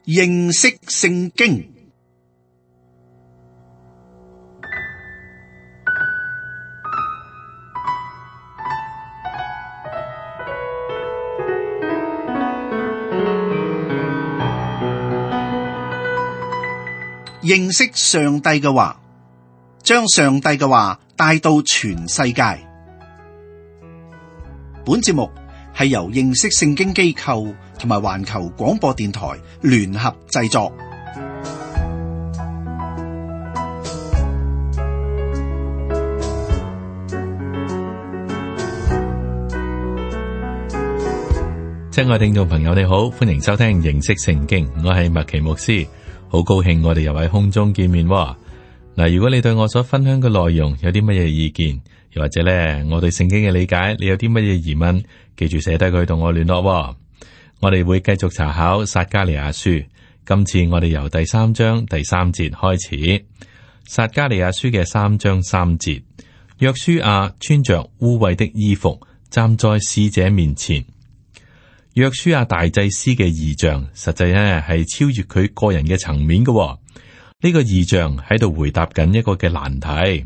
認識聖經。認識上帝嘅話，將上帝嘅話帶到全世界。本節目係由認識聖經機構同埋環球廣播電台聯合製作。親愛聽眾朋友，你好，歡迎收聽認識聖經，我係麥奇牧師。好高興我哋又喺空中見面喎。嗱，如果你對我所分享嘅內容有啲乜嘢意見，又或者咧我對聖經嘅理解，你有啲乜嘢疑問，記住寫低佢同我聯絡喎。我哋會繼續查考撒迦利亞書，今次我哋由第3章第3節開始。撒迦利亞書嘅3章3節，約書亞穿着污穢的衣服站在使者面前。約書亞大祭司嘅異象，實際咧係超越佢個人嘅層面嘅喎。呢個異象喺度回答緊一個嘅難題。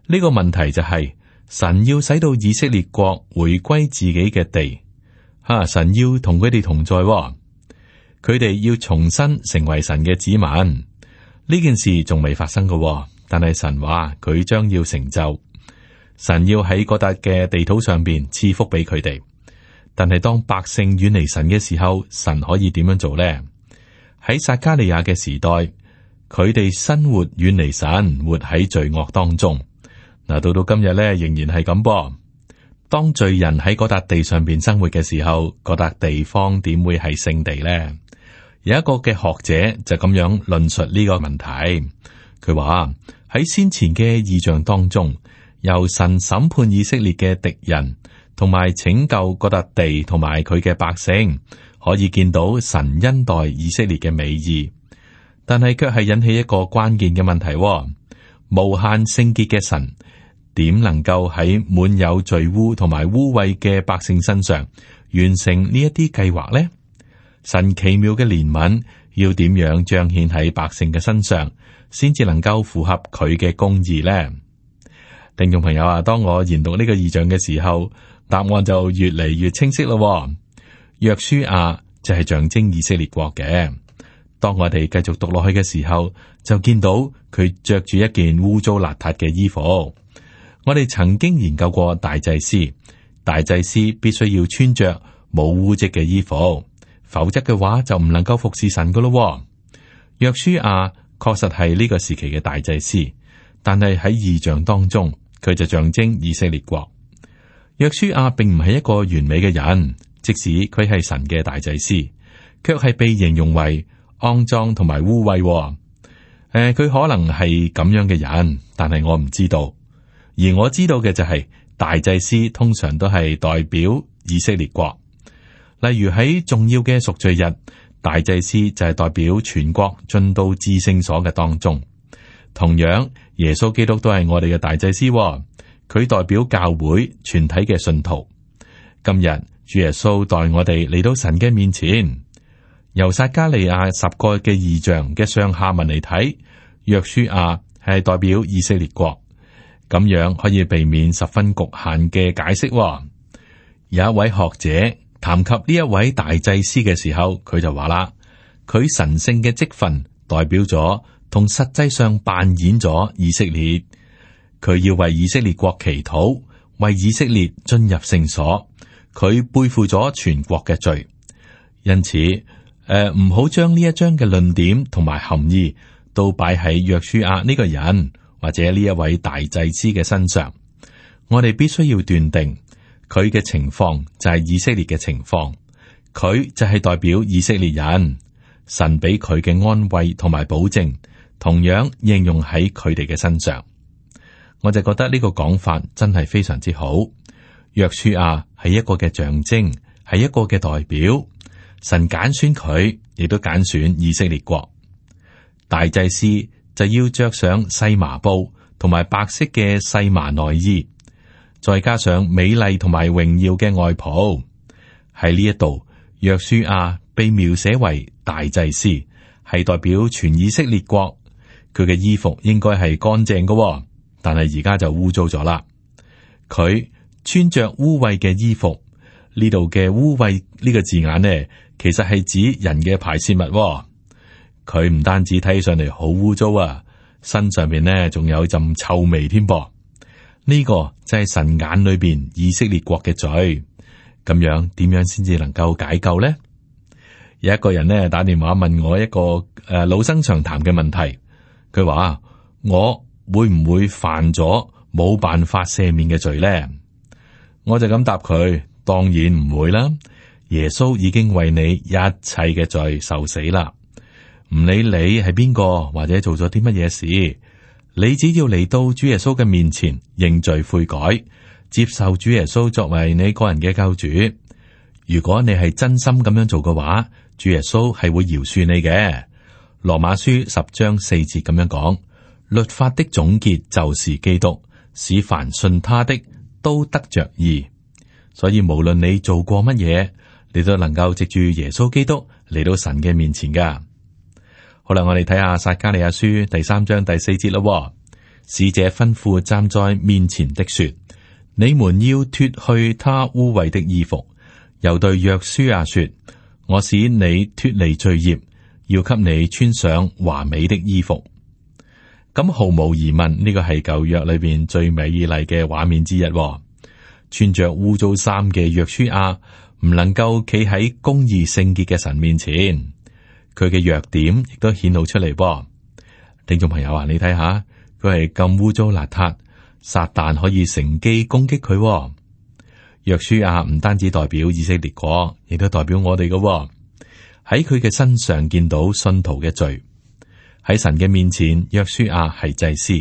呢個問題就係神要使到以色列國回歸自己嘅地，神要同佢哋同在喎，佢哋要重新成為神嘅子民。呢件事仲未發生嘅喎，但係神話佢將要成就。神要喺嗰笪嘅地土上邊賜福俾佢哋。但係當百姓遠離神嘅時候，神可以點樣做呢？喺撒迦利亞嘅時代，佢哋生活遠離神，活喺罪惡當中。嗱，到今日咧，仍然係咁噃。當罪人喺嗰笪地上邊生活嘅時候，嗰笪地方點會係聖地呢？有一個嘅學者就咁樣論述呢個問題。佢話喺先前嘅異象當中，由神審判以色列嘅敵人，同埋拯救嗰笪地同埋佢嘅百姓，可以見到神恩待以色列嘅美意，但係卻係引起一個關鍵嘅問題。無限聖潔嘅神點能夠喺滿有罪污同埋污穢嘅百姓身上完成呢一啲計劃呢？神奇妙嘅憐憫要點樣彰顯喺百姓嘅身上，先至能夠符合佢嘅公義呢？聽眾朋友啊，當我研讀呢個異象嘅時候，答案就越嚟越清晰咯。約書亞就係象徵以色列國嘅。當我哋繼續讀落去嘅時候，就見到佢着住一件污糟邋遢嘅衣服。我哋曾經研究過大祭司，大祭司必須要穿着冇污漬嘅衣服，否則嘅話就唔能夠服侍神噶咯。約書亞確實係呢個時期嘅大祭司，但係喺異象當中，佢就象徵以色列國。約書亞並唔係一個完美嘅人，即使佢係神嘅大祭司，卻係被形容為骯髒同埋污穢。佢可能係咁樣嘅人，但係我唔知道。而我知道嘅就係大祭司通常都係代表以色列國。例如喺重要嘅贖罪日，大祭司就係代表全國進到至聖所嘅當中。同樣，耶穌基督都係我哋嘅大祭司。佢代表教會全體嘅信徒。今日主耶穌代我哋嚟到神嘅面前。由撒迦利亞10個嘅異象嘅上下文嚟睇，約書亞係代表以色列國，咁樣可以避免十分局限嘅解釋。有一位學者談及呢一位大祭司嘅時候，佢就話啦，佢神聖嘅職分代表咗同實際上扮演咗以色列。佢要為以色列國祈禱，為以色列進入聖所。佢背負咗全國嘅罪，因此唔好將呢一章嘅論點同埋含義都擺喺約書亞呢個人或者呢一位大祭司嘅身上。我哋必須要斷定佢嘅情況就係以色列嘅情況，佢就係代表以色列人。神俾佢嘅安慰同埋保證，同樣應用喺佢哋嘅身上。我就覺得呢個講法真係非常之好。約書亞係一個嘅象徵，係一個嘅代表。神揀選佢，亦都揀選以色列國。大祭司就要着上細麻布同埋白色嘅細麻內衣，再加上美麗同埋榮耀嘅外袍。喺呢一度，約書亞被描寫為大祭司，係代表全以色列國。佢嘅衣服應該係乾淨嘅，但係而家就污糟咗啦。佢穿着污穢嘅衣服，呢度嘅污穢呢個字眼呢，其實係指人嘅排泄物。佢唔單止睇上嚟好污糟啊，身上面呢仲有陣臭味添噃。呢個就係神眼裏邊以色列國嘅罪。咁樣點樣先至能夠解救呢？有一個人呢打電話問我一個老生常談嘅問題，佢話我會唔會犯咗冇辦法赦免嘅罪呢？我就咁答佢，當然唔會啦。耶穌已經為你一切嘅罪受死啦，唔理你係邊個或者做咗啲乜嘢事，你只要嚟到主耶穌嘅面前認罪悔改，接受主耶穌作為你個人嘅救主。如果你係真心咁樣做嘅話，主耶穌係會饒恕你嘅。羅馬書10章4節咁樣講，律法的總結就是基督，使凡信他的都得着義。所以無論你做過乜嘢，你都能夠藉住耶穌基督嚟到神嘅面前噶。好啦，我哋睇下撒迦利亞書第3章第4節咯。使者吩咐站在面前的說，你們要脫去他污穢的衣服。又對約書亞說，我使你脫離罪孽，要給你穿上華美的衣服。咁毫無疑問，呢個係舊約裏邊最美麗嘅畫面之一。穿着污糟衫嘅約書亞唔能夠企喺公義聖潔嘅神面前，佢嘅弱點亦都顯露出嚟。聽眾朋友啊，你睇下，佢係咁污糟邋遢，撒旦可以乘機攻擊佢。約書亞唔單止代表以色列國，亦都代表我哋嘅。喺佢嘅身上見到信徒嘅罪。喺神嘅面前，約書亞係祭司。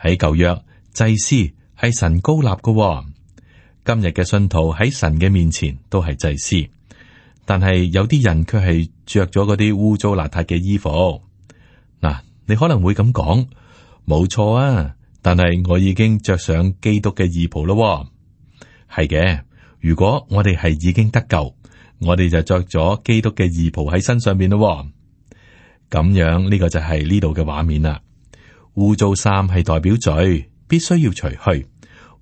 喺舊約，祭司係神膏立嘅。今日嘅信徒喺神嘅面前都係祭司，但係有啲人卻係着咗嗰啲污糟邋遢嘅衣服。嗱，你可能會咁講，冇錯啊，但係我已經着上基督嘅義袍咯。係嘅，如果我哋係已經得救，我哋就着咗基督嘅義袍喺身上邊咯。咁樣呢個就係呢度嘅畫面啦。污糟衫係代表罪，必須要除去，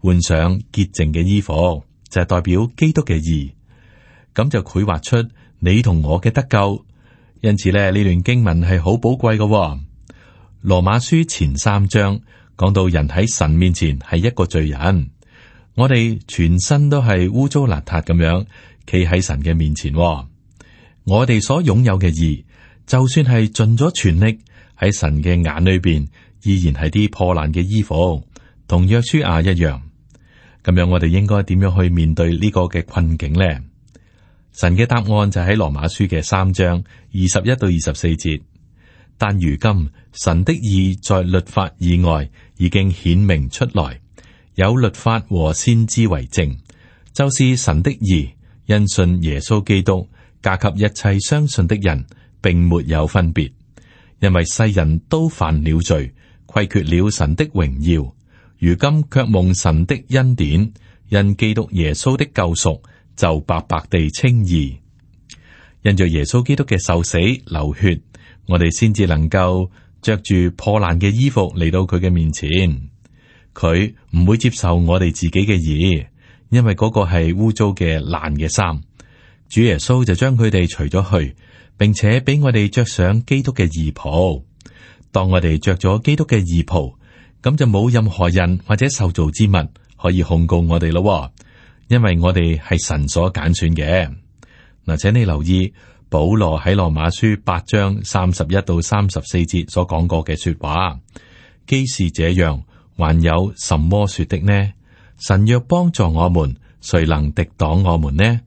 換上潔淨嘅衣服，就係代表基督嘅義。咁就繪畫出你同我嘅得救。因此咧，呢段經文係好寶貴嘅。羅馬書前3章講到人喺神面前係一個罪人。我哋全身都係污糟邋遢咁樣，企喺神嘅面前。我哋所擁有嘅義，就算係盡咗全力，喺神嘅眼裏邊，依然係啲破爛嘅衣服，同約書亞一樣。咁樣我哋應該點樣去面對呢個嘅困境呢？神嘅答案就喺羅馬書嘅3章21到24節。但如今神的義在律法以外已經顯明出來。有律法和先知為證，就是神的義，因信耶穌基督，加給一切相信的人，並沒有分別。因為世人都犯了罪，虧缺了神的榮耀，如今卻蒙神的恩典，因基督耶穌的救贖，就白白地稱義。因着耶穌基督嘅受死流血，我哋先至能夠着住破爛嘅衣服嚟到佢嘅面前。佢唔會接受我哋自己嘅義，因為嗰個係污糟嘅爛嘅衫。主耶穌就將佢哋除咗去，並且俾我哋着上基督嘅義袍。當我哋着咗基督嘅義袍，咁就冇任何人或者受造之物可以控告我哋咯，因為我哋係神所揀選嘅。嗱，請你留意保羅喺羅馬書8章31到34節所講過嘅說話，既是這樣，還有什麼說的呢？神若幫助我們，誰能敵擋我們呢？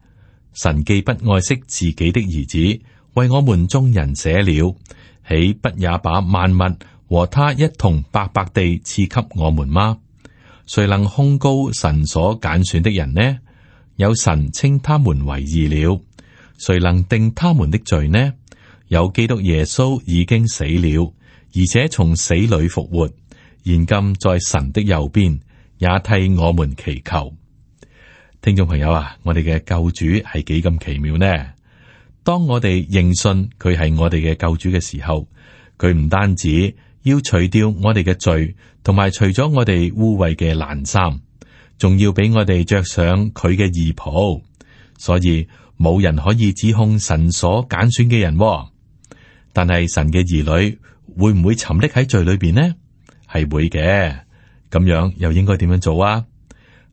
神既不愛惜自己的兒子，為我們眾人捨了，豈不也把萬物和他一同白白地賜給我們嗎？誰能控告神所揀選的人呢？有神稱他們為義了，誰能定他們的罪呢？有基督耶穌已經死了，而且從死裏復活，現今在神的右邊，也替我們祈求。聽眾朋友啊，我哋嘅救主係幾咁奇妙呢？當我哋認信佢係我哋嘅救主嘅時候，佢唔單止要除掉我哋嘅罪，同埋除咗我哋污穢嘅爛衫，仲要俾我哋着上佢嘅義袍。所以冇人可以指控神所揀選嘅人。但係神嘅兒女會唔會沉溺喺罪裏邊呢？係會嘅。咁樣又應該點樣做啊？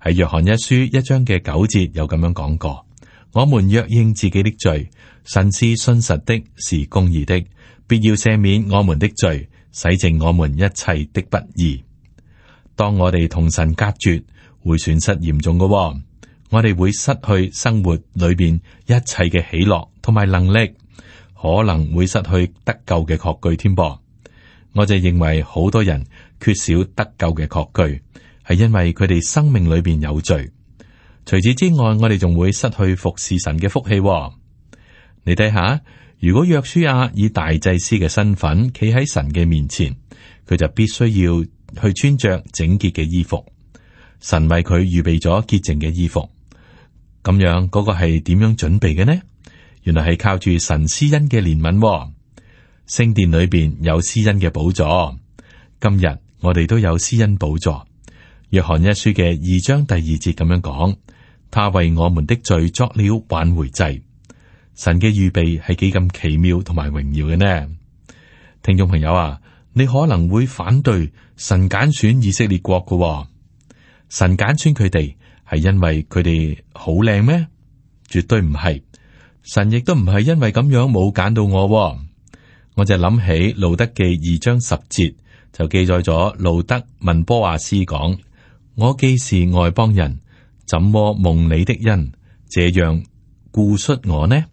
喺約翰一書1章嘅9節有咁樣講過：我們若認自己的罪，神是信實的，是公義的，必要赦免我們的罪，洗淨我們一切的不義。當我哋同神隔絕，會損失嚴重嘅。我哋會失去生活裏邊一切嘅喜樂同埋能力，可能會失去得救嘅確據添噃。我就認為好多人缺少得救嘅確據，係因為佢哋生命裏邊有罪。除此之外，我哋仲會失去服侍神嘅福氣。你睇下，如果約書亞以大祭司嘅身份企喺神嘅面前，佢就必須要去穿着整潔嘅衣服。神為佢預備咗潔淨嘅衣服。咁樣嗰個係點樣準備嘅呢？原來係靠住神施恩嘅憐憫。聖殿裏邊有施恩嘅寶座，今日我哋都有施恩寶座。約翰一書嘅2章第2節咁樣講：他為我們的罪作了挽回祭。神嘅預備係幾咁奇妙同埋榮耀嘅呢？聽眾朋友啊，你可能會反對神揀選以色列國嘅。神揀選佢哋係因為佢哋好靚咩？絕對唔係。神亦都唔係因為咁樣冇揀到我。我就諗起路德記2章10節就記載咗路德問波阿斯講：我既是外邦人，怎麼蒙你的恩這樣顧恤我呢？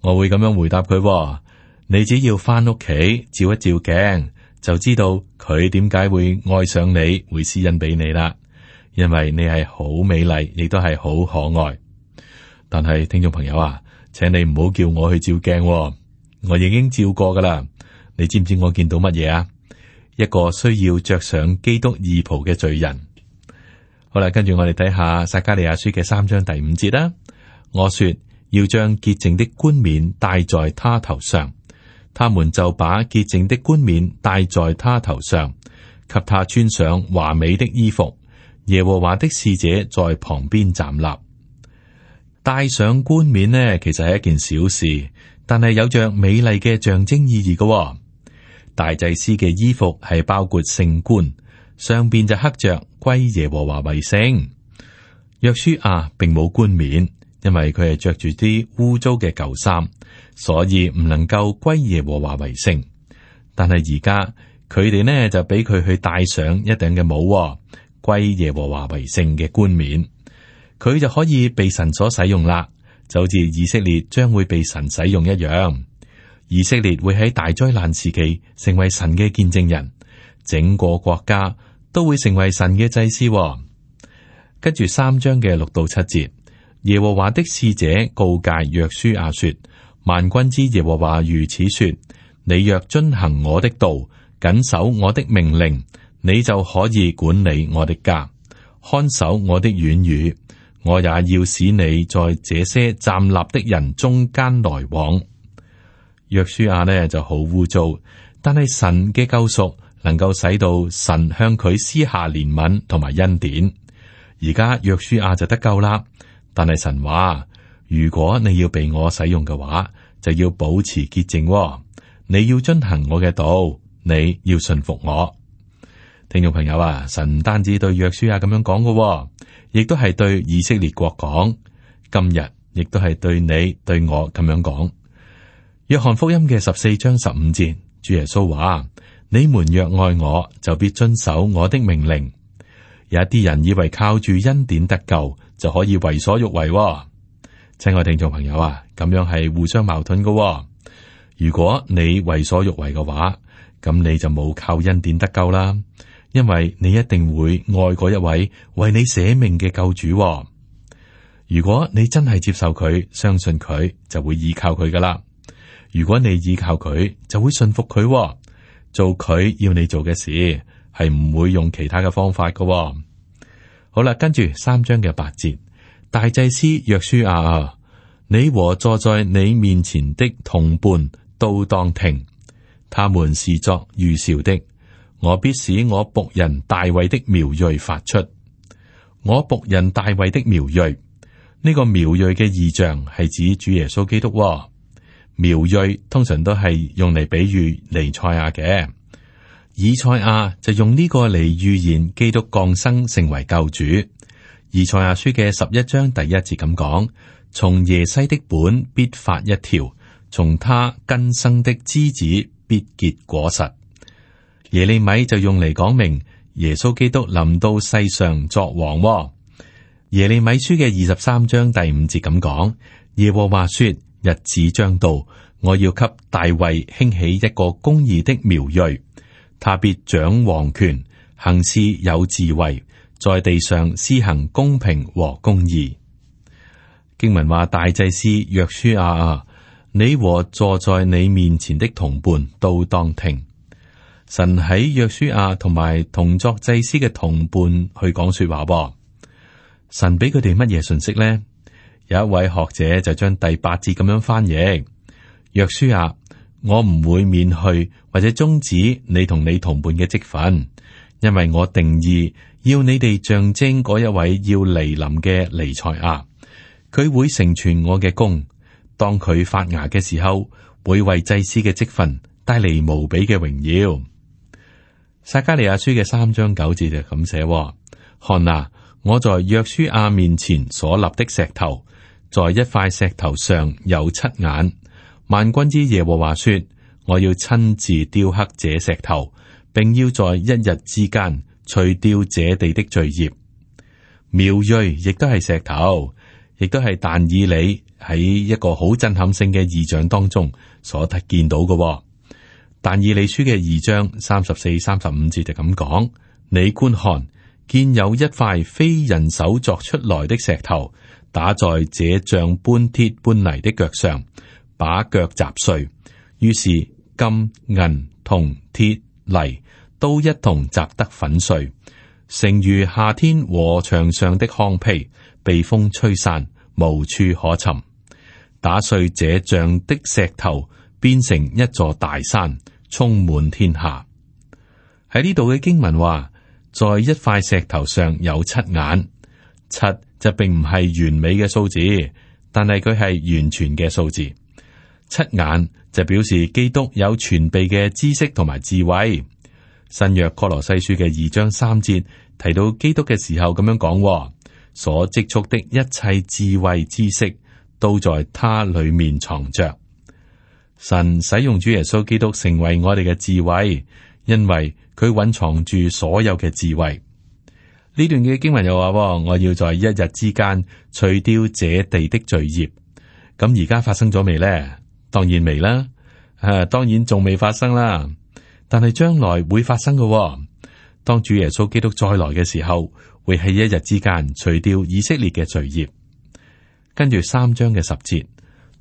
我會咁樣回答佢：你只要翻屋企照一照鏡，就知道佢點解會愛上你，會施恩俾你啦。因為你係好美麗，亦都係好可愛。但係聽眾朋友啊，請你唔好叫我去照鏡。我已經照過噶啦，你知唔知我見到乜嘢啊？一個需要着上基督義袍嘅罪人。好啦，跟住我哋睇下撒迦利亞書嘅3章第5節啦。我說要將潔淨的冠冕戴在他頭上，他們就把潔淨的冠冕戴在他頭上，給他穿上華美的衣服。耶和華的使者在旁邊站立。戴上冠冕呢，其實係一件小事，但係有着美麗嘅象徵意義嘅。大祭司嘅衣服係包括聖冠，上邊就刻着歸耶和華為聖。約書亞並冇冠冕，因為佢係着住啲污糟嘅舊衫，所以唔能夠歸耶和華為聖。但係而家佢哋呢就俾佢去戴上一頂嘅帽，歸耶和華為聖嘅冠冕，佢就可以被神所使用啦。就好似以色列將會被神使用一樣，以色列會喺大災難時期成為神嘅見證人，整個國家都會成為神嘅祭司。跟住3章嘅6到7節，耶和華的使者告誡約書亞說：萬軍之耶和華如此說，你若遵行我的道，謹守我的命令，你就可以管理我的家，看守我的院宇。我也要使你在這些站立的人中間來往。約書亞呢就好污糟，但係神嘅救贖能夠使到神向佢施下憐憫同埋恩典。而家約書亞就得救啦，但係神話，如果你要被我使用嘅話，就要保持潔淨，你要遵行我嘅道，你要順服我。聽眾朋友啊，神唔單止對約書亞咁樣講嘅，亦都係對以色列國講，今日亦都係對你對我咁樣講。約翰福音嘅14章15節，主耶穌話：你們若愛我，就必遵守我的命令。有一啲人以為靠住恩典得救就可以為所欲為，親愛聽眾朋友啊，咁樣係互相矛盾嘅。如果你為所欲為嘅話，咁你就冇靠恩典得救啦。因為你一定會愛嗰一位為你捨命嘅救主。如果你真係接受佢，相信佢，就會依靠佢噶啦。如果你依靠佢，就會信服佢，做佢要你做嘅事，係唔會用其他嘅方法噶。好啦，跟住3章嘅8節，大祭司約書亞啊，你和坐在你面前的同伴都當聽，他們是作預兆的。我必使我僕人大衛的苗裔發出。我僕人大衛的苗裔，呢個苗裔嘅異象係指主耶穌基督。苗裔通常都係用嚟比喻彌賽亞嘅，以賽亞就用呢個嚟預言基督降生成為救主。以賽亞書嘅11章第1節咁講：從耶西的本必發一條，從他根生的枝子必結果實。耶利米就用嚟講明耶穌基督臨到世上作王。耶利米書嘅23章第5節咁講：耶和華說，日子將到，我要給大衛興起一個公義的苗裔，他必掌王權，行事有智慧，在地上施行公平和公義。經文話：大祭司約書亞啊，你和坐在你面前的同伴都當聽。神喺約書亞同埋同作祭司嘅同伴去講說話。神俾佢哋乜嘢信息呢？有一位學者就將第8節咁樣翻譯：約書亞，我唔會免去或者終止你同你同伴嘅職分，因為我定義要你哋象徵嗰一位要嚟臨嘅彌賽亞，佢會成全我嘅功。當佢發芽嘅時候，會為祭司嘅職分帶嚟無比嘅榮耀。撒迦利亞書嘅3章9節就咁寫：看啊，我在約書亞面前所立的石頭，在一塊石頭上有7眼。萬軍之耶和華說：我要親自雕刻這石頭，並要在一日之間除掉這地的罪孽。苗裔亦都係石頭，亦都係但以理喺一個好震撼性嘅異象當中所見到嘅。但以理書嘅2章34、35節就咁講：你觀看，見有一塊非人手作出來的石頭，打在這像搬鐵搬泥的腳上，把腳砸碎。於是金、銀、銅、鐵、泥都一同砸得粉碎，成如夏天禾場上的糠皮，被風吹散，無處可尋。打碎這像的石頭，變成一座大山，充滿天下。喺呢度嘅經文話，在一塊石頭上有7眼。7就並唔係完美嘅數字，但係佢係完全嘅數字。7眼就表示基督有全備嘅知識同埋智慧。新約哥羅西書嘅2章3節提到基督嘅時候咁樣講：所積蓄的一切智慧知識，都在他裏面藏着。神使用主耶穌基督成為我哋嘅智慧，因為佢蘊藏住所有嘅智慧。呢段嘅經文又話：我要在一日之間除掉這地的罪孽。咁而家發生咗未呢？當然未啦，當然仲未發生啦。但係將來會發生嘅。當主耶穌基督再來嘅時候，會喺一日之間除掉以色列嘅罪孽。跟住3章嘅10節，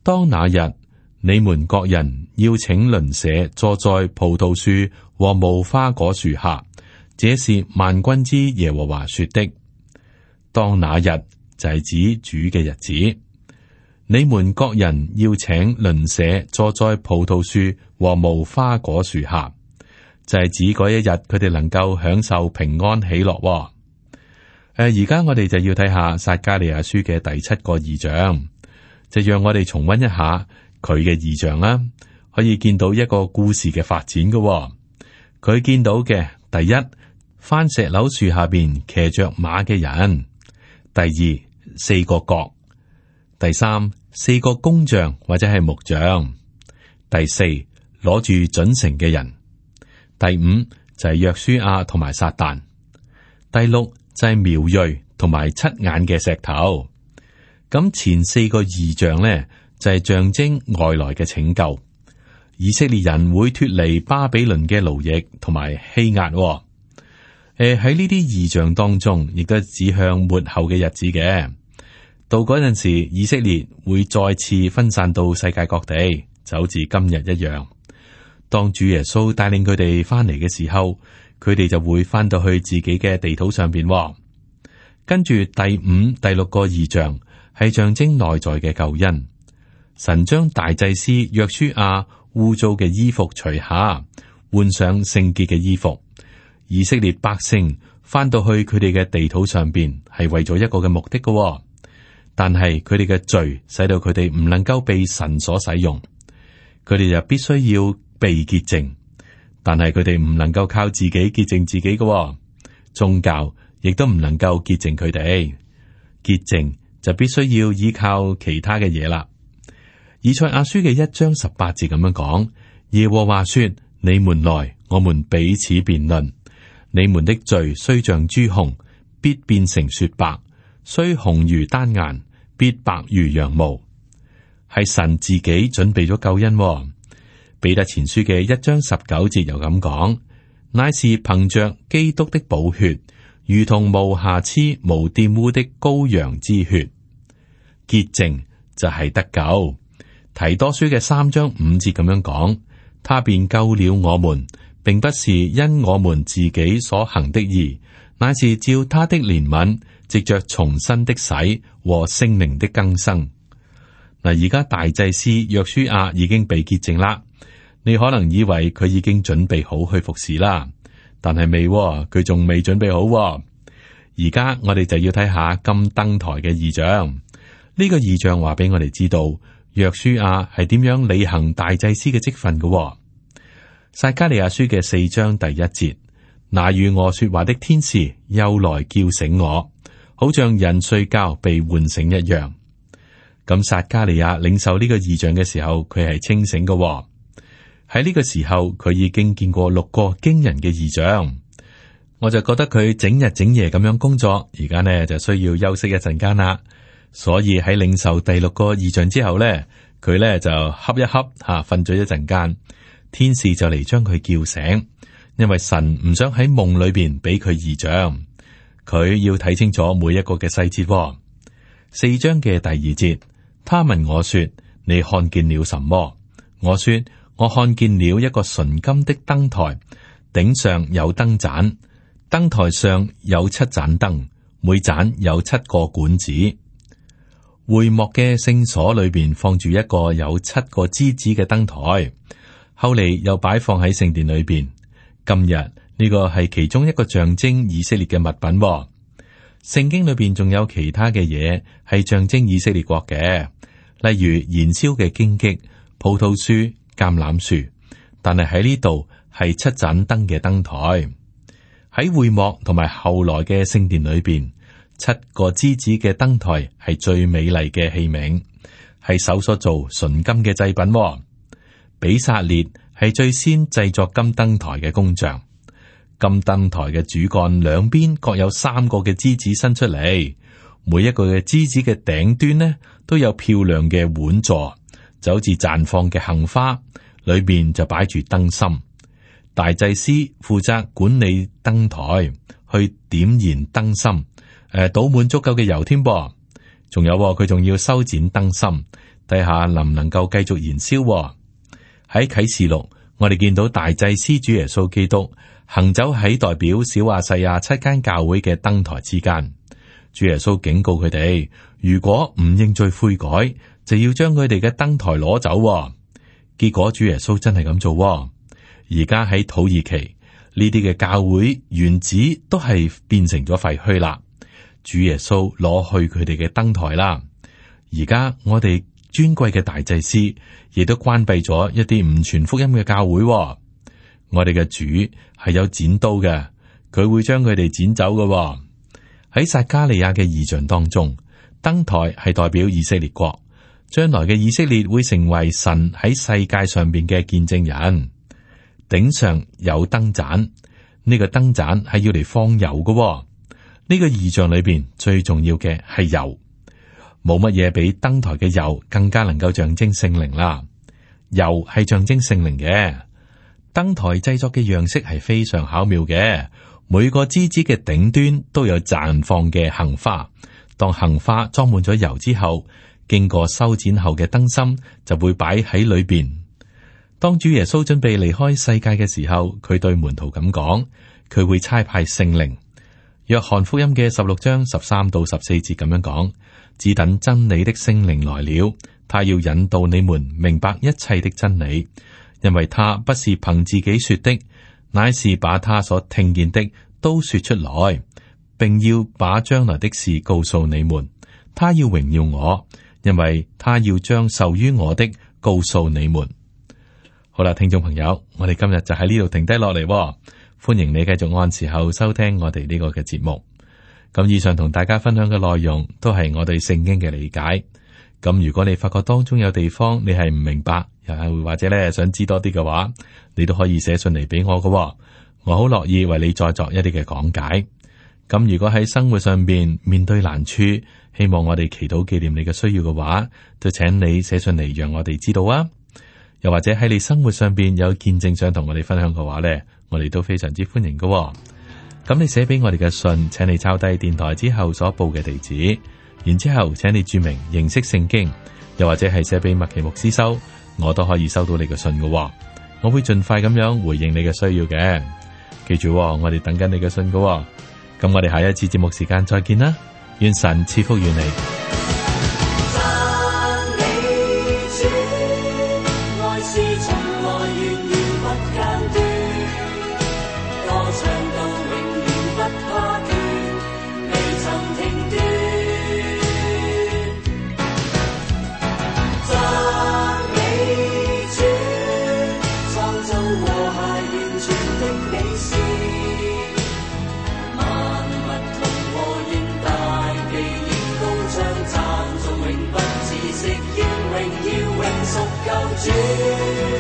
當那日，你們各人要請鄰舍坐在葡萄樹和無花果樹下，這是萬軍之耶和華說的。當那日就係指主嘅日子，你們各人要請鄰舍坐在葡萄樹和無花果樹下，就係指嗰一日佢哋能夠享受平安喜樂。而家我哋就要睇下撒迦利亞書嘅第7個異象，就讓我哋重溫一下佢嘅異象啦，可以見到一個故事嘅發展嘅。佢見到嘅第一，番石榴樹下邊騎着馬嘅人；第二，4個角；第三，4個工匠或者係木匠；第四，攞住準繩嘅人；第五就係約書亞同埋撒旦；第六就係苗裔同埋7眼嘅石頭。咁前4個異象呢，就係象徵外來嘅拯救，以色列人會脫離巴比倫嘅奴役同埋欺壓。喺呢啲異象當中，亦都指向末後嘅日子嘅。到嗰陣時，以色列會再次分散到世界各地，就好似今日一樣。當主耶穌帶領佢哋翻嚟嘅時候，佢哋就會翻到去自己嘅地土上邊。跟住第5、第6個異象係象徵內在嘅救恩，神將大祭司約書亞污糟嘅衣服除下，換上聖潔嘅衣服。以色列百姓翻到去佢哋嘅地土上邊，係為咗一個嘅目的嘅。但係佢哋嘅罪使到佢哋唔能夠被神所使用，佢哋就必須要被潔淨。但係佢哋唔能夠靠自己潔淨自己嘅，宗教亦都唔能夠潔淨佢哋。潔淨就必須要依靠其他嘅嘢啦。以賽亞書嘅1章18節咁樣講：耶和華說，你們來，我們彼此辯論。你們的罪雖像朱紅，必變成雪白；雖紅如丹顏，必白如羊毛。係神自己準備咗救恩。彼得前書嘅1章19節又咁講：乃是憑着基督的寶血，如同無瑕疵、無玷污的羔羊之血。潔淨就係得救。提多書嘅3章5節咁樣講：他便救了我們，並不是因我們自己所行的義，乃是照他的憐憫，藉着重生的洗和聖靈的更生。嗱，而家大祭司約書亞已經被潔淨啦。你可能以為佢已經準備好去服侍啦，但係未，佢仲未準備好。而家我哋就要睇下金燈台嘅異象。呢個異象話俾我哋知道，約書亞係點樣履行大祭司嘅職分嘅。撒迦利亞書嘅4章第1節：那與我說話的天使又來叫醒我，好像人睡覺被喚醒一樣。咁撒迦利亞領受呢個異象嘅時候，佢係清醒嘅。喺呢個時候，佢已經見過6個驚人嘅異象。我就覺得佢整日整夜咁樣工作，而家呢就需要休息一陣間啦。所以喺領受第6個異象之後呢，佢呢就瞌一瞌吓，瞓咗一陣間。天使就嚟將佢叫醒，因為神唔想喺夢裏邊俾佢異象，佢要睇清楚每一個嘅細節。4章嘅第2節，他問我說：你看見了什麼？我說：我看見了一個純金的燈台，頂上有燈盞，燈台上有7盞燈，每盞有7個管子。會幕嘅聖所裏邊放住一個有7個枝子嘅燈台。後嚟又擺放喺聖殿裏邊。今日呢個係其中一個象徵以色列嘅物品。聖經裏邊仲有其他嘅嘢係象徵以色列國嘅，例如燃燒嘅荊棘、葡萄樹、橄欖樹。但係喺呢度係7盞燈嘅燈台。喺會幕同埋後來嘅聖殿裏邊，7個枝子嘅燈台係最美麗嘅器皿，係手所做純金嘅製品。比撒列係最先製作金燈台嘅工匠。金燈台嘅主幹兩邊各有3個嘅枝子伸出嚟，每一個嘅枝子嘅頂端呢都有漂亮嘅碗座，就好似綻放嘅杏花，裏面就擺住燈芯。大祭司負責管理燈台，去點燃燈芯，倒滿足夠嘅油添噃。仲有佢仲要修剪燈芯，睇下能唔能夠繼續燃燒。喺啟示錄，我哋見到大祭司主耶穌基督行走喺代表小亞細亞7間教會嘅燈台之間。主耶穌警告佢哋，如果唔認罪悔改，就要將佢哋嘅燈台攞走。結果主耶穌真係咁做。而家喺土耳其呢啲嘅教會原址都係變成咗廢墟啦。主耶穌攞去佢哋嘅燈台啦。而家我哋尊貴嘅大祭司亦都關閉咗一啲唔傳福音嘅教會。我哋嘅主係有剪刀嘅，佢會將佢哋剪走嘅。喺撒迦利亞嘅異象當中，燈台係代表以色列國，將來嘅以色列會成為神喺世界上邊嘅見證人。頂上有燈盞，呢個燈盞係要嚟放油嘅。呢個異象裏邊最重要嘅係油。冇乜嘢比燈台嘅油更加能夠象徵聖靈啦。油係象徵聖靈嘅。燈台製作嘅樣式係非常巧妙嘅，每個枝子嘅頂端都有綻放嘅杏花。當杏花裝滿咗油之後，經過修剪後嘅燈芯就會擺喺裏邊。當主耶穌準備離開世界嘅時候，佢對門徒咁講，佢會差派聖靈。約翰福音嘅16章13到14節咁樣講，只等真理的聖靈來了，他要引導你們明白一切的真理，因為他不是憑自己說的，乃是把他所聽見的都說出來，並要把將來的事告訴你們。他要榮耀我，因為他要將受於我的告訴你們。好啦，聽眾朋友，我哋今日就喺呢度停低落嚟，歡迎你繼續按時候收聽我哋呢個嘅節目。咁以上同大家分享嘅內容都係我對聖經嘅理解。咁如果你發覺當中有地方你係唔明白，又或者咧想知多啲嘅話，你都可以寫信嚟俾我嘅，我好樂意為你再作一啲嘅講解。咁如果喺生活上邊面對難處，希望我哋祈禱紀念你嘅需要嘅話，就請你寫信嚟讓我哋知道啊。又或者喺你生活上邊有見證想同我哋分享嘅話咧，我哋都非常之歡迎嘅。咁你寫俾我哋嘅信，請你抄低電台之後所報嘅地址。然之後，請你注明認識聖經，又或者係寫俾麥奇牧師收，我都可以收到你嘅信嘅。我會盡快咁樣回應你嘅需要嘅。記住，我哋等緊你嘅信嘅。咁我哋下一次節目時間再見啦，願神賜福於你。主